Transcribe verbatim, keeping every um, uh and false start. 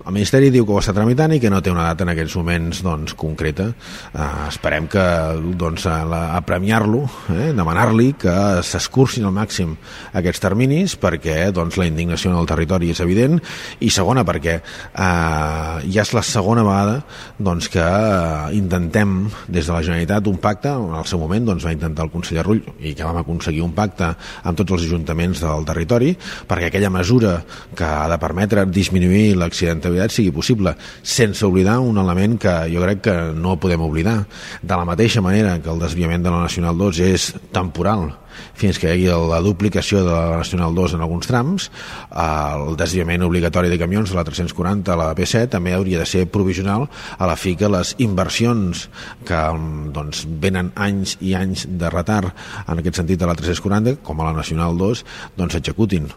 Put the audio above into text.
El Ministeri diu que ho està tramitant i que no té una data en aquests moments doncs, concreta. Uh, esperem que doncs, a, la, a premiar-lo, eh, demanar-li que s'escurcin al màxim aquests terminis perquè doncs, la indignació en el territori és evident, i segona perquè uh, ja és la segona vegada doncs, que uh, intentem des de la Generalitat un pacte. En el seu moment doncs, va intentar el conseller Rull i que vam aconseguir un pacte amb tots els ajuntaments del territori perquè aquella mesura que ha de permetre disminuir l'accidentalitat sigui possible, sense oblidar un element que jo crec que no podem oblidar. De la mateixa manera que el desviament de la Nacional dos és temporal fins que hi hagi la duplicació de la Nacional dos en alguns trams, el desviament obligatori de camions de la tres-cents quaranta a la B set també hauria de ser provisional a la fi que les inversions que doncs, venen anys i anys de retard en aquest sentit a la tres-cents quaranta com a la Nacional dos doncs s'executin.